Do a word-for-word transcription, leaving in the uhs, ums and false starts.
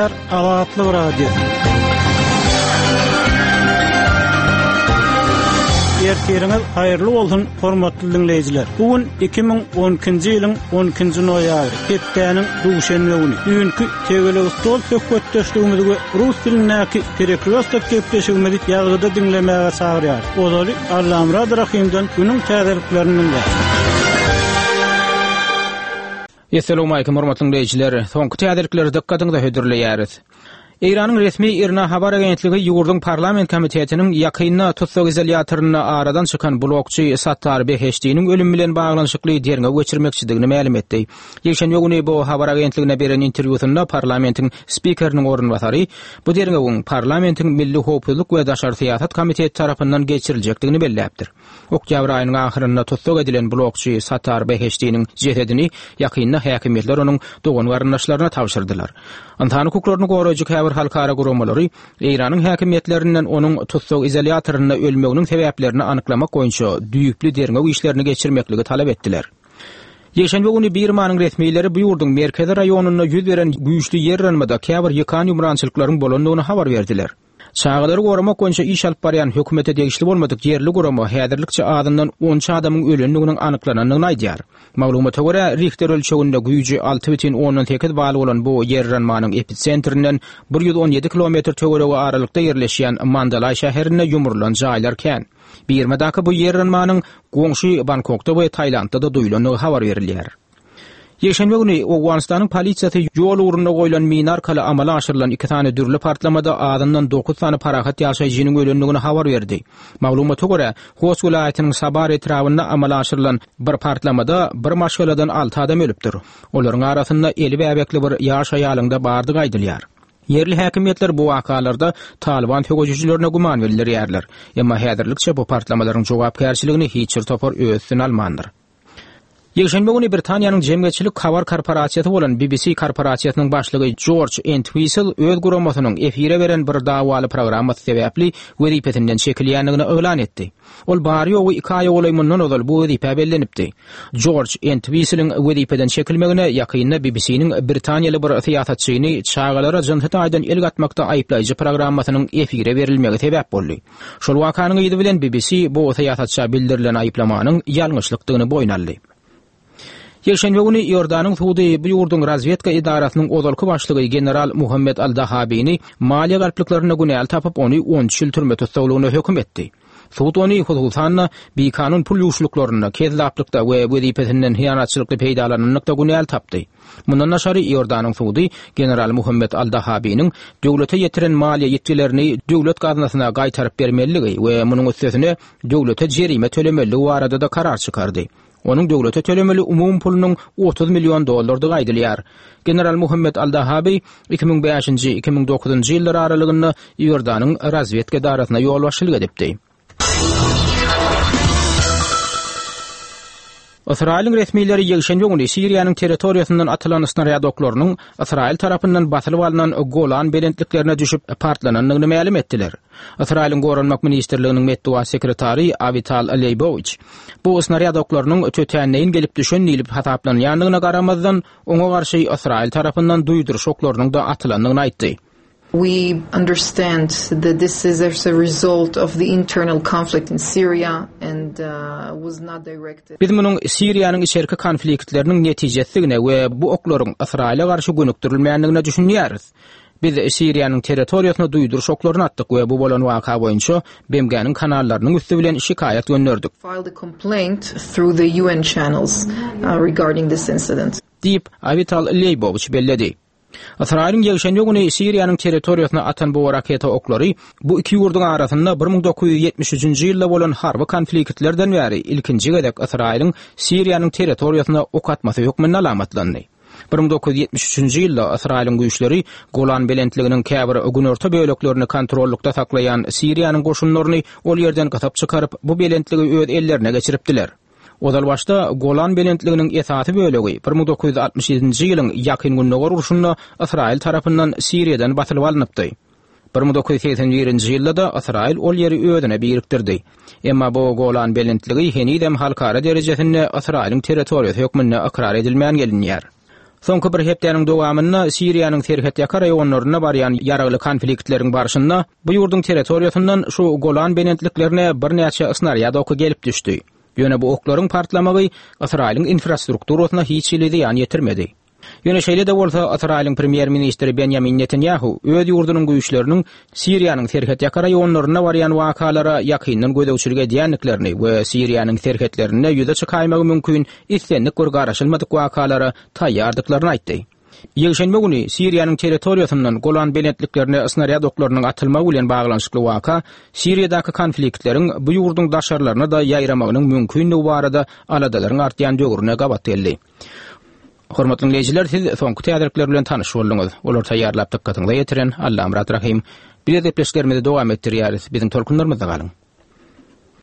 Gepleýär Azatlyk Radiosy. Ertiriňiz haýyrly bolsun, hormatly diňleýjiler. Bu gün iki müň on ikinji ýylyň on ikinji noýabry, hepdäniň duşenbe güni. Düýnki tegelek stol söhbetdeşligimizi we rus dilindäki perekrýostok gepleşigimizi ýazgyda diňlemäge çagyrýar. Ozaly Allamurad Rahimden günüň täzeliklerini dinläň. Esselamu aleýkum hormatly dinleýjiler. Soňky täzelikleri dykgatyňyza hödürleýäris. Eýranyň resmi IRNA habar agentligi ýurduň parlament komitetiniň ýakynda tussag izolýatorynda aradan çykan blokçy Sattar Beheştiniň ölümi bilen baglanyşykly derňew geçirmekçidigini mälim etdi. Ýekşenbe güni bu habar agentligine beren interwýusynda parlamentiň spikeriniň orunbasary bu derňewiň parlamentiň Milli Howpsuzlyk we Daşary Syýasat Komiteti tarapyndan geçiriljekdigini belläpdir. Oktýabr aýynyň ahyrynda tussag edilen blokçy Sattar Beheştiniň jesedini ýakynda häkimiýetler onuň dogan garyndaşlaryna tabşyrdylar. Ynsan hukuklaryny goraýjy käbir halkara guramalary Eýranyň häkimiýetlerinden onuň tussag izolýatorynda ölmeginiň sebäplerini anyklamak boýunça düýpli derňew işlerini geçirmekligi talap etdiler. Ýekşenbe güni Birmanyň resmileri bu ýurduň merkezi raýonynda ýüz beren güýçli ýer yranmada käbir ýykan ýumrançylyklaryň bolandygyny habar berdiler. Çagalary goramak boýunça iş alyp barýan hökümete degişli bolmadyk ýerli gurama häzirlikçe azyndan on üç adamyň ölendiginiň anyklanandygyny aýdýar. Maglumata görä, Richter ölçeginde güýji alty bütin ondan sekiz bal bolan bu ýer yranmanyň episentrinden bir ýüz on ýedi kilometr töweregi aralykda ýerleşýän Mandalay şäherinde ýumrulan jaýlar kän. Birmadaky bu ýer yranmanyň goňşy Bangkokda we Tailandda da duýulandygy habar berilýär. Ýekşenbe güni Owganystanyň polisiýasy ýol ugrunda goýlan mina arkaly amala aşyrylan iki sany dürli partlamada azyndan dokuz sany parahat ýaşaýjynyň ölendigini habar berdi. Maglumata görä, Host welaýatynyň Sabar etrabynda amala aşyrylan bir partlamada bir maşgaladan alty adam ölüpdir. Olaryň arasynda eli bäbekli bir ýaş aýalyň da bardygy aýdylýar. Ýerli häkimiýetler bu wakalarda Taliban söweşijilerine güman bildirýärler. Emma häzirlikçe bu partlamalaryň jogapkärçiligini hiç bir topar öz üstüne almandyr. Ýekşenbe güni Britaniýanyň jemgyýetçilik habar korporasiýasy bolan B B C korporasiýasynyň başlygy George Entwistle öz guramasynyň efire beren bir dawaly programmasy sebäpli wezipesinden çekilýändigini yglan etdi. Ol bary ýogy iki aý golaý mundan ozal bu wezipä bellenipdi. George Entwistle'iň wezipeden çekilmegine ýakynda B B C-niň Britaniýaly bir syýasatçyny çagalara jynsy taýdan el gatmakda aýyplaýjy programmasynyň efire berilmegi sebäp boldy. Şol wakanyň yzy bilen B B C bu syýasatça bildirilen aýyplamanyň ýalňyşlykdygyny boýun aldy. Ýekşenbe güni Iordanyň sudy bu ýurduň razvedka edarasynyň ozalky başlygy general Muhammed Al-Dahabini maliýe galplyklarynda günäli tapyp ony on üç ýyl türme tussaglygyna höküm etdi. Sud ony hususan-da bikanun pul ýuşluklarynda, kezzaplykda we wezipesinden hyýanatçylykly peýdalananlykda günäli tapdy. Mundan daşary Iordanyň sudy general Muhammed Al-Dahabiniň döwlete ýetiren maliýe ýitgilerini döwlet gaznasyna gaýtaryp bermeligi we munuň üstesine döwlete jerime tölemeligi barada da karar çykardy. Onuň döwlete tölemeli umum pulunyň otuz million dollardygy aýdylýar. General Muhammed Al-Dahabi iki müň bäşinji, iki müň dokuzynjy ýyllar aralygynda Iordanyň razvedka edarasyna ýolbaşçylyk edipdi. Ysraýylyň resmileri ýekşenbe güni Siriýanyň territoriýasyndan atylan snarýad oklarynyň Ysraýyl tarapyndan basylyp alnan Golan belentliklerine düşüp partlanandygyny mälim etdiler. Ysraýylyň Goranmak Ministrliginiň metbugat sekretary Avital Leýbowiç bu snarýad oklarynyň tötänleýin gelip düşen diýlip hasaplanýandygyna garamazdan oňa garşy Ysraýyl tarapyndan duýduryş oklarynyň da atylandygyny aýtdy. We understand that this is as a result of the internal conflict in Syria and, uh, was not directed. Biz munuň Siriýanyň içerki konfliktleriniň netijesidigine we bu oklaryň Ysraýyla garşy gönükdirilmändigine düşünýäris. Biz Siriýanyň territoriýasyna duýduryş oklaryny atdyk we bu bolan waka boýunça B M G-niň kanallarynyň üsti bilen şikaýat gönderdik. Filed a complaint through the U N channels, uh, regarding this incident. Diýip Avital Leýbowiç belledi. Ysraýylyň ýekşenbe güni Siriýanyň territoriýasyna atan bu raketa oklary bu iki ýurduň arasynda bir müň dokuz ýüz ýetmiş üçünji ýylda bolan harby konfliktlerden bäri ilkinji gezek Ysraýylyň Siriýanyň territoriýasyna ok atmasy hökmünde alamatlandy. Bir müň dokuz ýüz ýetmiş üçünji ýylda Ysraýylyň güýçleri Golan belentliginiň käbir günorta böleklerini kontrollukda saklaýan Siriýanyň goşunlaryny ol ýerden gysyp çykaryp, bu belentligi öz ellerine geçiripdiler. Ozal başda Golan belentliginiň esasy bölegi bir müň dokuz ýüz altmyş ýedinji ýylyň ýakyn gündogar urşunda Ysraýyl tarapyndan Siriýadan basylyp alnypdy. Bir müň dokuz ýüz segsen birinji ýylda da Ysraýyl ol ýeri özüne birikdirdi. Emma bu Golan belentligi henizem halkara derejesinde Ysraýylyň territoriýasy hökmünde ykrar edilmän gelinýär. Soňky bir hepdäniň dowamynda Siriýanyň serhetýaka raýonlarynda barýan ýaragly konfliktleriň barşynda bu ýurduň territoriýasyndan şu Golan belentliklerine birnäçe snarýad oky gelip düşdi. Ýöne bu oklaryň partlamagy Ysraýylyň infrastrukturasyna hiç hili zyýan ýetirmedi. Ýöne şeýle-de bolsa Ysraýylyň premýer-ministri Benjamin Netanyahu öz ýurdunyň güýçleriniň Siriýanyň serhetýaka raýonlarynda barýan wakalara ýakyndan gözegçilik edýändiklerini we Siriýanyň serhetlerinde ýüze çykaýmagy mümkin islendik bir garaşylmadyk wakalara taýýardyklaryny aýtdy. Ýekşenbe güni Siriýanyň territoriýasyndan Golan belentliklerine snarýad oklarynyň atylmagy bilen baglanyşykly waka Siriýadaky konfliktleriň bu ýurduň daşarlaryna da ýaýramagynyň mümkinligi barada aladalaryň artýan döwrüne gabat geldi. Hormatly dinleýjiler, siz soňky täzelikler bilen tanyş bolduňyz. Olar taýýarlap dykgatyňyza ýetiren Allamyrat Rahim. Biz gepleşiklerimizi dowam etdirýäris. Biziň tolkunlarymyzda galyň.